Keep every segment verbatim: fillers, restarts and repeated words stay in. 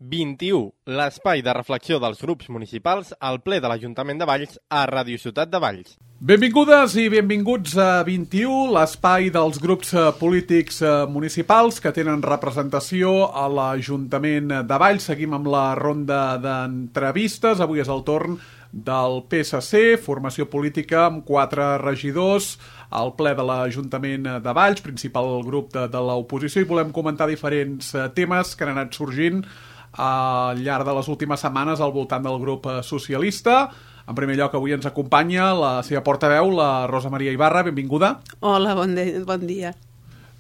vint-i-u, l'espai de reflexió dels grups municipals al ple de l'Ajuntament de Valls a Ràdio Ciutat de Valls. Benvingudes i benvinguts a vint-i-u, l'espai dels grups polítics municipals que tenen representació a l'Ajuntament de Valls. Seguim amb la ronda d'entrevistes. Avui és el torn del P S C, formació política amb quatre regidors al ple de l'Ajuntament de Valls, principal grup de, de l'oposició, i volem comentar diferents temes que han anat sorgint al llarg de les últimes setmanes al voltant del grup socialista. En primer lloc, avui ens acompanya la seva portaveu, la Rosa Maria Ibarra. Benvinguda. Hola, bon, de, bon dia.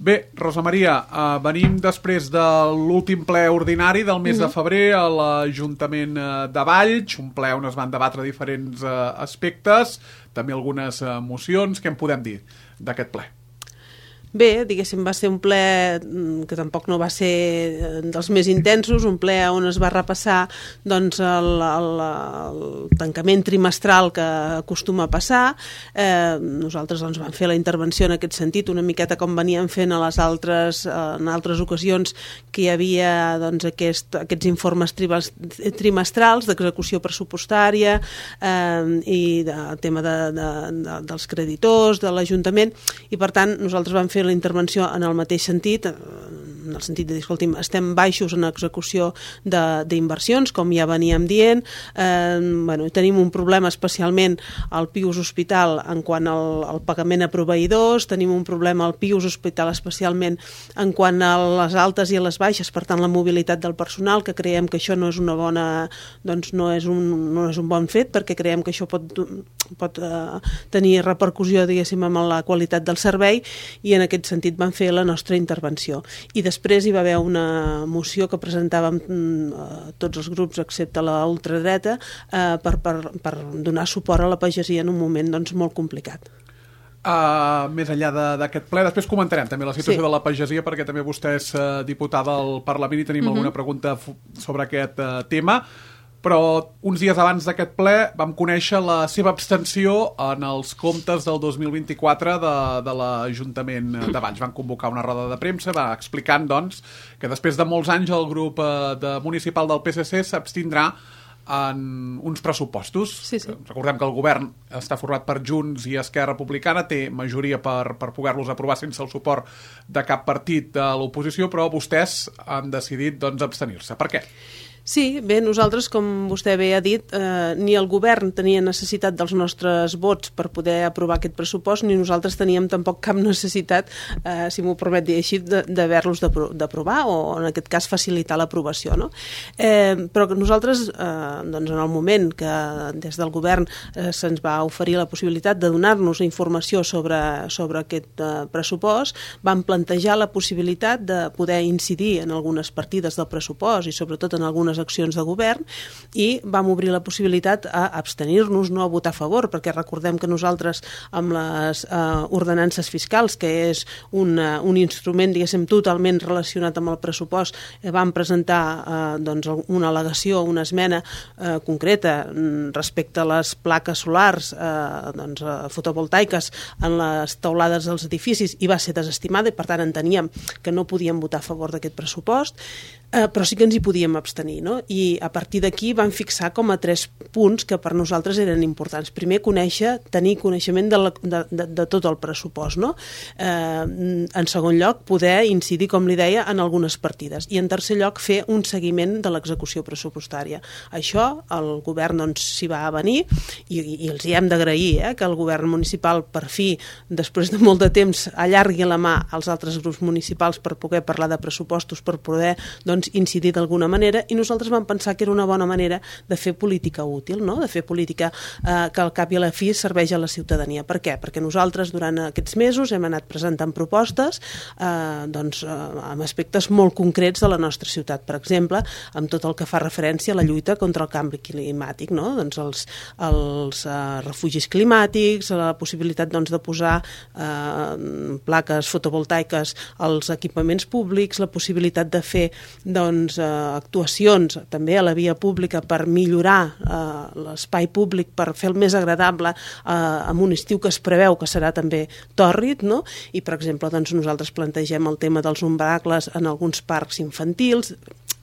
Bé, Rosa Maria, eh, venim després de l'últim ple ordinari del mes uh-huh. de febrer a l'Ajuntament de Valls, un ple on es van debatre diferents eh, aspectes, també algunes eh, mocions. Què en podem dir d'aquest ple? Bé, diguéssim, va ser un ple que tampoc no va ser dels més intensos, un ple on es va repassar doncs, el, el, el tancament trimestral que acostuma a passar. Eh, nosaltres doncs, vam fer la intervenció en aquest sentit, una miqueta com veníem fent a les altres, en altres ocasions que hi havia doncs, aquest, aquests informes trimestrals d'execució pressupostària eh, i de tema de, de, de, dels creditors, de l'Ajuntament, i per tant nosaltres vam fer la intervenció en el mateix sentit, en el sentit de dir, escolti'm, estem baixos en execució d'inversions, com ja veníem dient, eh, bueno, tenim un problema especialment al Pius Hospital en quant al, al pagament a proveïdors, tenim un problema al Pius Hospital especialment en quant a les altes i a les baixes, per tant la mobilitat del personal, que creiem que això no és una bona, doncs no és un, no és un bon fet, perquè creiem que això pot, pot eh, tenir repercussió, diguéssim, amb la qualitat del servei, i en aquest sentit vam fer la nostra intervenció. I després hi va haver una moció que presentàvem eh, tots els grups excepte la ultradreta eh, per, per, per donar suport a la pagesia en un moment doncs, molt complicat. Uh, més enllà d'aquest ple, després comentarem també la situació sí. de la pagesia, perquè també vostè és uh, diputada al Parlament i tenim uh-huh. alguna pregunta sobre aquest uh, tema. Però uns dies abans d'aquest ple vam conèixer la seva abstenció en els comptes del dos mil vint-i-quatre de, de l'Ajuntament de Valls. Van convocar una roda de premsa, va explicant doncs, que després de molts anys el grup de municipal del P S C s'abstindrà en uns pressupostos. Sí, sí. Recordem que el govern està format per Junts i Esquerra Republicana, té majoria per, per poder-los aprovar sense el suport de cap partit de l'oposició, però vostès han decidit doncs, abstenir-se. Per què? Sí, bé, nosaltres, com vostè bé ha dit, eh, ni el govern tenia necessitat dels nostres vots per poder aprovar aquest pressupost, ni nosaltres teníem tampoc cap necessitat, eh, si m'ho permet dir així, d'haver-los d'aprovar o, en aquest cas, facilitar l'aprovació. No? Eh, però que nosaltres, eh, doncs, en el moment que des del govern eh, se'ns va oferir la possibilitat de donar-nos informació sobre, sobre aquest eh, pressupost, vam plantejar la possibilitat de poder incidir en algunes partides del pressupost i sobretot en algunes accions de govern, i vam obrir la possibilitat a abstenir-nos, no a votar a favor, perquè recordem que nosaltres amb les eh, ordenances fiscals, que és un, uh, un instrument, diguéssim, totalment relacionat amb el pressupost, eh, vam presentar eh, doncs, una al·legació, una esmena eh, concreta respecte a les plaques solars eh, doncs, eh, fotovoltaiques en les teulades dels edificis, i va ser desestimada, i per tant enteníem que no podíem votar a favor d'aquest pressupost, eh, però sí que ens hi podíem abstenir. No? I a partir d'aquí vam fixar com a tres punts que per nosaltres eren importants. Primer, conèixer, tenir coneixement de, la, de, de, de tot el pressupost. No? Eh, en segon lloc, poder incidir, com li deia, en algunes partides. I en tercer lloc, fer un seguiment de l'execució pressupostària. Això el govern doncs, s'hi va venir, i, i els hi hem d'agrair eh, que el govern municipal per fi, després de molt de temps, allargui la mà als altres grups municipals per poder parlar de pressupostos, per poder doncs, incidir d'alguna manera, i nosaltres nosaltres vam pensar que era una bona manera de fer política útil, no? De fer política eh, que al cap i a la fi serveix a la ciutadania. Per què? Perquè nosaltres durant aquests mesos hem anat presentant propostes eh, doncs, eh, amb aspectes molt concrets de la nostra ciutat. Per exemple, amb tot el que fa referència a la lluita contra el canvi climàtic, no? Doncs els, els eh, refugis climàtics, la possibilitat doncs, de posar eh, plaques fotovoltaiques als equipaments públics, la possibilitat de fer doncs, eh, actuacions també a la via pública per millorar eh, l'espai públic, per fer el més agradable eh, en un estiu que es preveu que serà també tòrrid, no? I per exemple doncs, nosaltres plantegem el tema dels umbracles en alguns parcs infantils.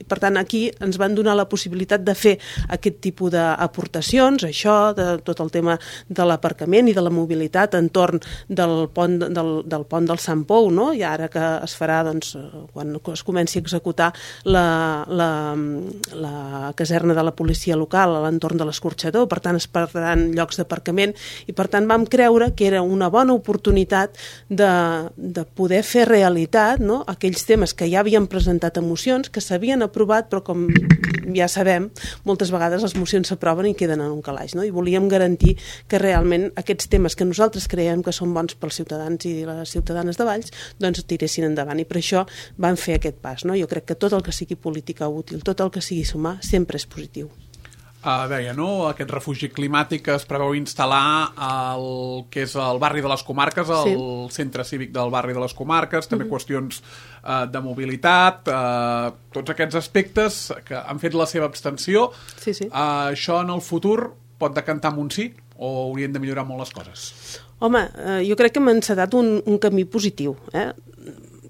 I, per tant, aquí ens van donar la possibilitat de fer aquest tipus d'aportacions, això, de tot el tema de l'aparcament i de la mobilitat entorn del pont del, del, pont del Sant Pou, no? I ara que es farà, doncs, quan es comenci a executar la, la, la caserna de la policia local a l'entorn de l'Escorxador, per tant es perdran llocs d'aparcament i per tant vam creure que era una bona oportunitat de, de poder fer realitat, no? Aquells temes que ja havien presentat a mocions, que s'havien aprovat, però com ja sabem, moltes vegades les mocions s'aproven i queden en un calaix, no? I volíem garantir que realment aquests temes que nosaltres creiem que són bons pels ciutadans i les ciutadanes de Valls, doncs tiressin endavant, i per això vam fer aquest pas, no? Jo crec que tot el que sigui política útil, tot el que sigui sumar, sempre és positiu. Uh, deia, no?, aquest refugi climàtic que es preveu instal·lar al que és el barri de les Comarques, el sí. centre cívic del barri de les Comarques, també uh-huh. qüestions uh, de mobilitat, uh, tots aquests aspectes que han fet la seva abstenció. Sí, sí. Uh, això en el futur pot decantar amb un sí o haurien de millorar molt les coses? Home, uh, jo crec que hem encetat un, un camí positiu, eh?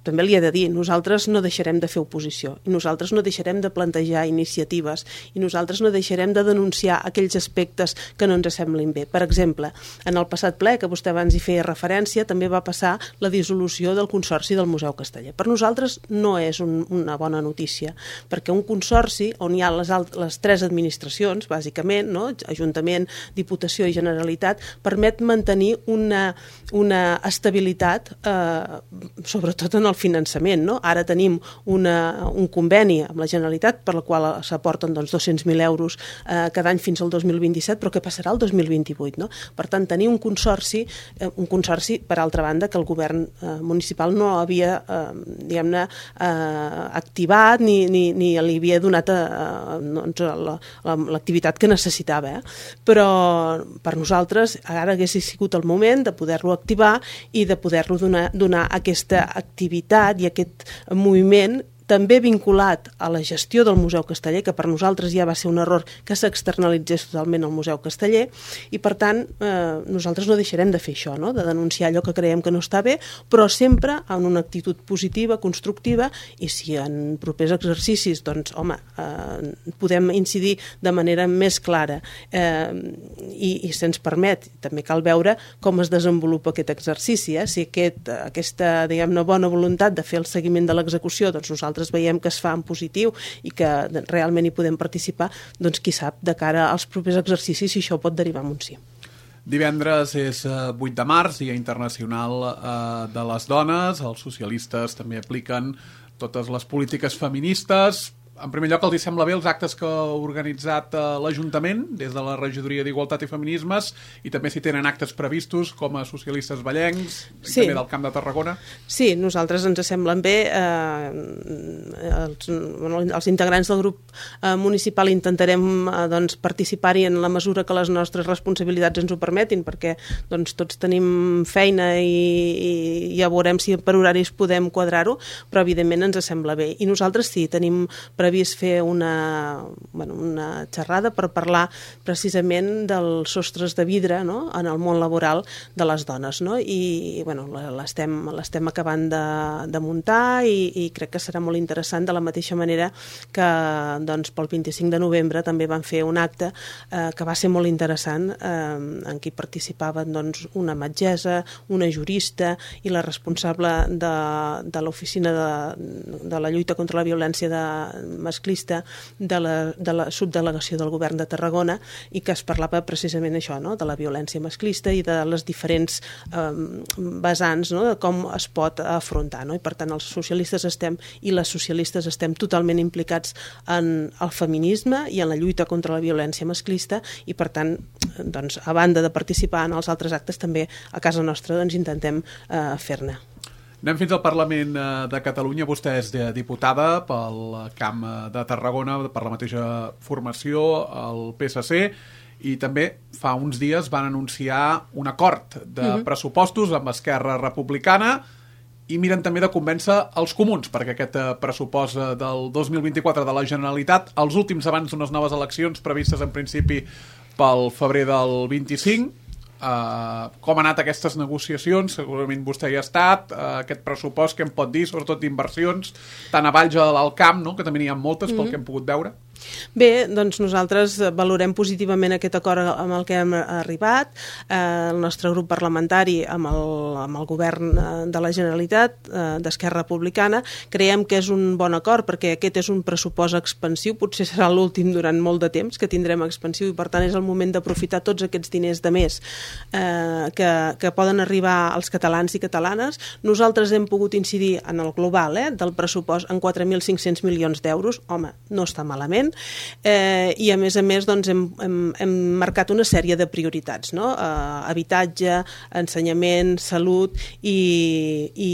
També li he de dir, nosaltres no deixarem de fer oposició i nosaltres no deixarem de plantejar iniciatives i nosaltres no deixarem de denunciar aquells aspectes que no ens semblin bé. Per exemple, en el passat ple, que vostè abans hi feia referència, també va passar la dissolució del Consorci del Museu Casteller. Per nosaltres no és un, una bona notícia, perquè un consorci on hi ha les, alt, les tres administracions, bàsicament, no? Ajuntament, Diputació i Generalitat, permet mantenir una, una estabilitat, eh, sobretot en el finançament, no? Ara tenim una, un conveni amb la Generalitat per la qual s'aporten doncs, dos-cents mil euros eh, cada any fins al dos mil vint-i-set, però què passarà el dos mil vint-i-vuit, no? Per tant, tenir un consorci, eh, un consorci, per altra banda, que el govern eh, municipal no havia, eh, diguem-ne, eh, activat ni, ni, ni li havia donat eh, doncs, l'activitat que necessitava. Eh? Però per nosaltres ara hagués sigut el moment de poder-lo activar i de poder-lo donar, donar aquesta activitat i aquest moviment també vinculat a la gestió del Museu Casteller, que per nosaltres ja va ser un error que s'externalitzés totalment al Museu Casteller, i per tant eh, nosaltres no deixarem de fer això, no? De denunciar allò que creiem que no està bé, però sempre amb una actitud positiva, constructiva, i si en propers exercicis, doncs, home, eh, podem incidir de manera més clara eh, i, i se'ns permet, també cal veure com es desenvolupa aquest exercici, eh? Si aquest, aquesta, diguem-ne, bona voluntat de fer el seguiment de l'execució, doncs nosaltres veiem que es fa en positiu i que realment hi podem participar, doncs qui sap, de cara als propers exercicis, si això pot derivar en un sí. Divendres és vuit de març, Dia Internacional eh, de les Dones. Els socialistes també apliquen totes les polítiques feministes. En primer lloc, els hi sembla bé els actes que ha organitzat eh, l'Ajuntament des de la Regidoria d'Igualtat i Feminismes, i també si tenen actes previstos com a socialistes vallencs, sí. També del Camp de Tarragona? Sí, nosaltres ens semblen bé. Eh, els, bueno, els integrants del grup eh, municipal intentarem eh, doncs, participar-hi en la mesura que les nostres responsabilitats ens ho permetin, perquè doncs, tots tenim feina i, i ja veurem si per horaris podem quadrar-ho, però evidentment ens sembla bé. I nosaltres sí, tenim previst fer una, bueno, una xerrada per parlar precisament dels sostres de vidre, no? En el món laboral de les dones, no? I bueno, l'estem l'estem acabant de, de muntar i, i crec que serà molt interessant, de la mateixa manera que doncs, pel vint-i-cinc de novembre també van fer un acte eh, que va ser molt interessant, eh, en què participaven doncs, una metgessa, una jurista i la responsable de, de l'oficina de, de la lluita contra la violència de masclista de la, de la subdelegació del govern de Tarragona, i que es parlava precisament això, no? De la violència masclista i de les diferents eh, vessants, no? De com es pot afrontar, no? I per tant els socialistes estem i les socialistes estem totalment implicats en el feminisme i en la lluita contra la violència masclista, i per tant doncs, a banda de participar en els altres actes, també a casa nostra doncs, intentem eh, fer-ne. Anem fins al Parlament de Catalunya. Vostè és diputada pel Camp de Tarragona, per la mateixa formació, el P S C, i també fa uns dies van anunciar un acord de uh-huh. pressupostos amb Esquerra Republicana, i miren també de convèncer els comuns, perquè aquest pressupost del dos mil vint-i-quatre de la Generalitat, els últims abans d'unes noves eleccions previstes en principi pel febrer del vint-i-cinc, Uh, com han anat aquestes negociacions? Segurament vostè hi ha estat. Uh, aquest pressupost, què em pot dir, sobretot d'inversions, tant a Valls a l'Alt Camp, no? Que també n'hi ha moltes, mm-hmm. pel que hem pogut veure. Bé, doncs nosaltres valorem positivament aquest acord amb el que hem arribat. Eh, el nostre grup parlamentari amb el, amb el govern de la Generalitat, eh, d'Esquerra Republicana, creiem que és un bon acord perquè aquest és un pressupost expansiu, potser serà l'últim durant molt de temps que tindrem expansiu i per tant és el moment d'aprofitar tots aquests diners de més eh, que, que poden arribar als catalans i catalanes. Nosaltres hem pogut incidir en el global eh, del pressupost en quatre mil cinc-cents milions d'euros. Home, no està malament. Eh, i a més a més doncs, hem, hem, hem marcat una sèrie de prioritats, no? eh, habitatge, ensenyament, salut i, i,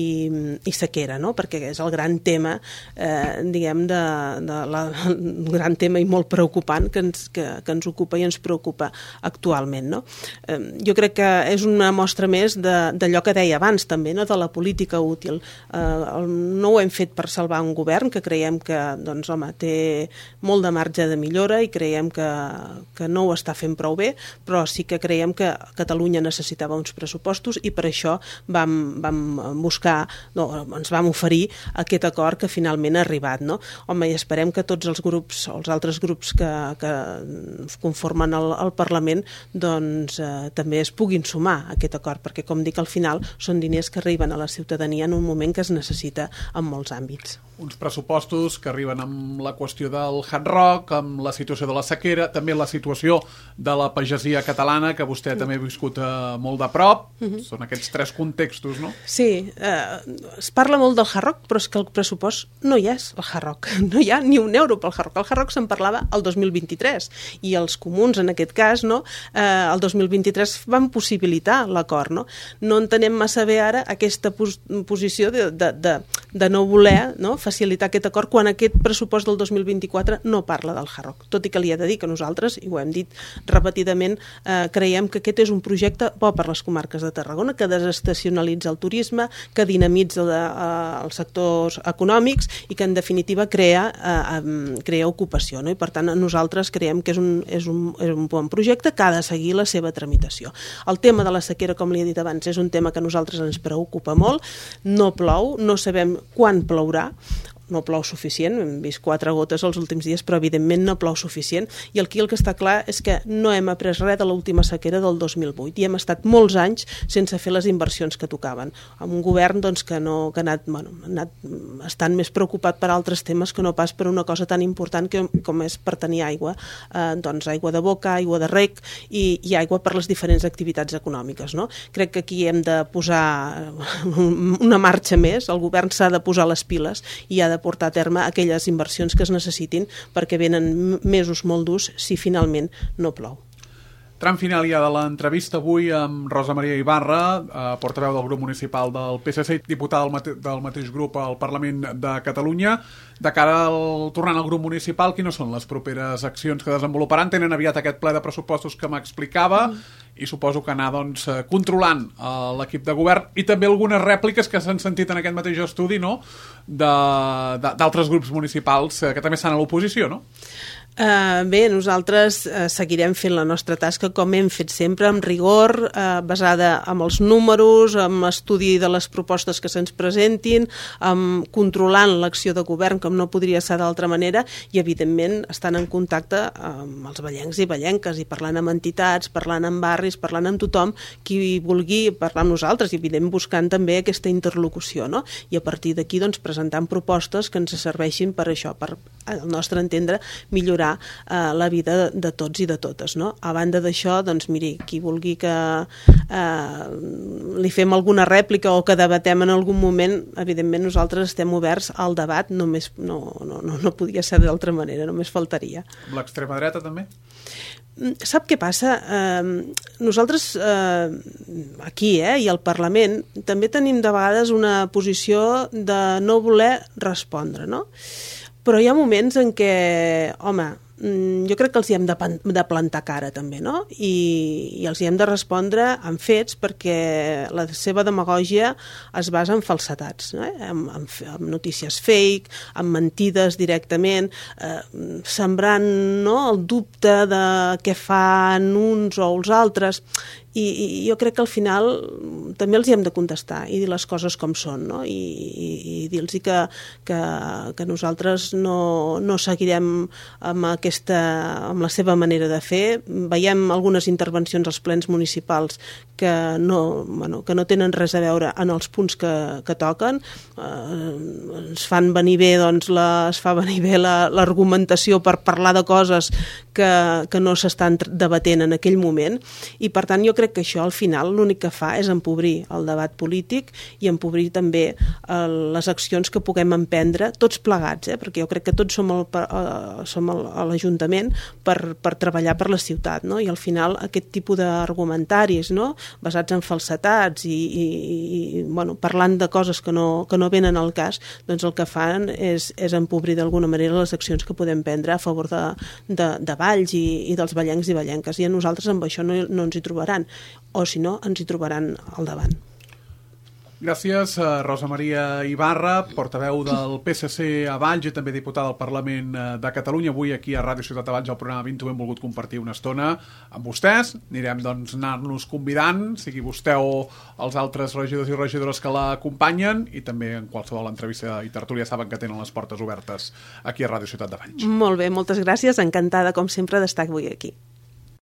i sequera, no? Perquè és el gran tema eh, diguem de, de la, el gran tema i molt preocupant que ens, que, que ens ocupa i ens preocupa actualment, no? Eh, jo crec que és una mostra més d'allò que deia abans també, no? De la política útil. Eh, no ho hem fet per salvar un govern que creiem que doncs, home, té molt de marge de millora i creiem que, que no ho està fent prou bé, però sí que creiem que Catalunya necessitava uns pressupostos i per això vam, vam buscar, no, ens vam oferir aquest acord que finalment ha arribat, no? Home, i esperem que tots els grups o els altres grups que, que conformen el, el Parlament doncs eh, també es puguin sumar a aquest acord, perquè com dic, al final són diners que arriben a la ciutadania en un moment que es necessita en molts àmbits. Uns pressupostos que arriben amb la qüestió del Hard Rock, amb la situació de la sequera, també la situació de la pagesia catalana, que vostè mm. també ha viscut eh, molt de prop. Mm-hmm. Són aquests tres contextos, no? Sí, eh, es parla molt del Hard Rock, però és que el pressupost no hi és, el Hard Rock. No hi ha ni un euro pel Hard Rock. El Hard Rock se'n parlava el dos mil vint-i-tres i els comuns, en aquest cas, no, eh, el dos mil vint-i-tres van possibilitar l'acord, no? No entenem massa bé ara aquesta pos posició de, de, de, de no voler, no, facilitar aquest acord quan aquest pressupost del dos mil vint-i-quatre no parla del Hard Rock. Tot i que li he de dir que nosaltres, i ho hem dit repetidament, eh, creiem que aquest és un projecte bo per les comarques de Tarragona, que desestacionalitza el turisme, que dinamitza de, eh, els sectors econòmics i que en definitiva crea, eh, crea ocupació, no? I per tant nosaltres creiem que és un, és, un, és un bon projecte que ha de seguir la seva tramitació. El tema de la sequera, com li he dit abans, és un tema que a nosaltres ens preocupa molt. No plou, no sabem quan plourà, no plou suficient, hem vist quatre gotes els últims dies, però evidentment no plou suficient, i aquí el que està clar és que no hem après res de l'última sequera del dos mil vuit i hem estat molts anys sense fer les inversions que tocaven, amb un govern doncs, que, no, que ha anat, bueno, ha anat estant més preocupat per altres temes que no pas per una cosa tan important que, com és per tenir aigua, eh, doncs aigua de boca, aigua de rec i, i aigua per les diferents activitats econòmiques, no? Crec que aquí hem de posar una marxa més, el govern s'ha de posar les piles i ha de portar a terme aquelles inversions que es necessitin perquè venen mesos molt durs si finalment no plou. Tram final ja de l'entrevista avui amb Rosa Maria Ibarra, eh, portaveu del grup municipal del P S C, diputada del, mate del mateix grup al Parlament de Catalunya. De cara al tornant al grup municipal, quines són les properes accions que desenvoluparan? Tenen aviat aquest ple de pressupostos que m'explicava mm. i suposo que anar doncs, controlant eh, l'equip de govern i també algunes rèpliques que s'han sentit en aquest mateix estudi, no?, d'altres grups municipals eh, que també estan a l'oposició, no? Uh, bé, nosaltres uh, seguirem fent la nostra tasca com hem fet sempre, amb rigor, uh, basada en els números, amb estudi de les propostes que se'ns presentin, amb controlant l'acció de govern com no podria ser d'altra manera i evidentment estant en contacte amb els vallencs i vallenques i parlant amb entitats, parlant amb barris, parlant amb tothom qui vulgui parlar amb nosaltres i evidentment buscant també aquesta interlocució, no? I a partir d'aquí doncs, presentant propostes que ens serveixin per això, per al nostre entendre millorar Uh, la vida de, de tots i de totes, no? A banda d'això, doncs miri, qui vulgui que uh, li fem alguna rèplica o que debatem en algun moment, evidentment nosaltres estem oberts al debat, només no, no, no, no podia ser d'altra manera, només faltaria. Amb l'extrema dreta també? Sap què passa? Eh, nosaltres eh, aquí eh, i al Parlament també tenim de vegades una posició de no voler respondre, no? Però hi ha moments en què, home, jo crec que els hi hem de, de plantar cara també, no? I, i els hi hem de respondre amb fets perquè la seva demagògia es basa en falsetats, no? en, en, en notícies fake, en mentides directament, eh, sembrant, no?, el dubte de què fan uns o els altres. i, i jo crec que al final també els hi hem de contestar i dir les coses com són, no? I, i, i dir-los que, que, que nosaltres no, no seguirem amb, aquesta, amb la seva manera de fer. Veiem algunes intervencions als plens municipals que no, bueno, que no tenen res a veure en els punts que, que toquen. Eh, ens fan venir bé, doncs, la, es fa venir bé l'argumentació per parlar de coses que, que no s'estan debatent en aquell moment, i per tant jo crec que això al final l'únic que fa és empobrir el debat polític i empobrir també eh, les accions que puguem emprendre tots plegats, eh? Perquè jo crec que tots som, el, eh, som el, a l'Ajuntament per, per treballar per la ciutat, no? I al final aquest tipus d'argumentaris, no? Basats en falsetats i, i, i bueno, parlant de coses que no, que no venen al cas, doncs el que fan és, és empobrir d'alguna manera les accions que podem prendre a favor de, de, de Valls i, i dels vallencs i vallenques, i a nosaltres amb això no, no ens hi trobaran, o si no ens hi trobaran al davant. Gràcies a Rosa Maria Ibarra, portaveu del P S C a Valls i també diputada al Parlament de Catalunya. Avui aquí a Ràdio Ciutat de Valls, al programa vint, hem volgut compartir una estona amb vostès. Anirem doncs anar-nos convidant, sigui vostè o els altres regidors i regidores que l'acompanyen, i també en qualsevol entrevista i tertúlia saben que tenen les portes obertes aquí a Ràdio Ciutat de Valls. Molt bé, moltes gràcies. Encantada, com sempre, d'estar avui aquí.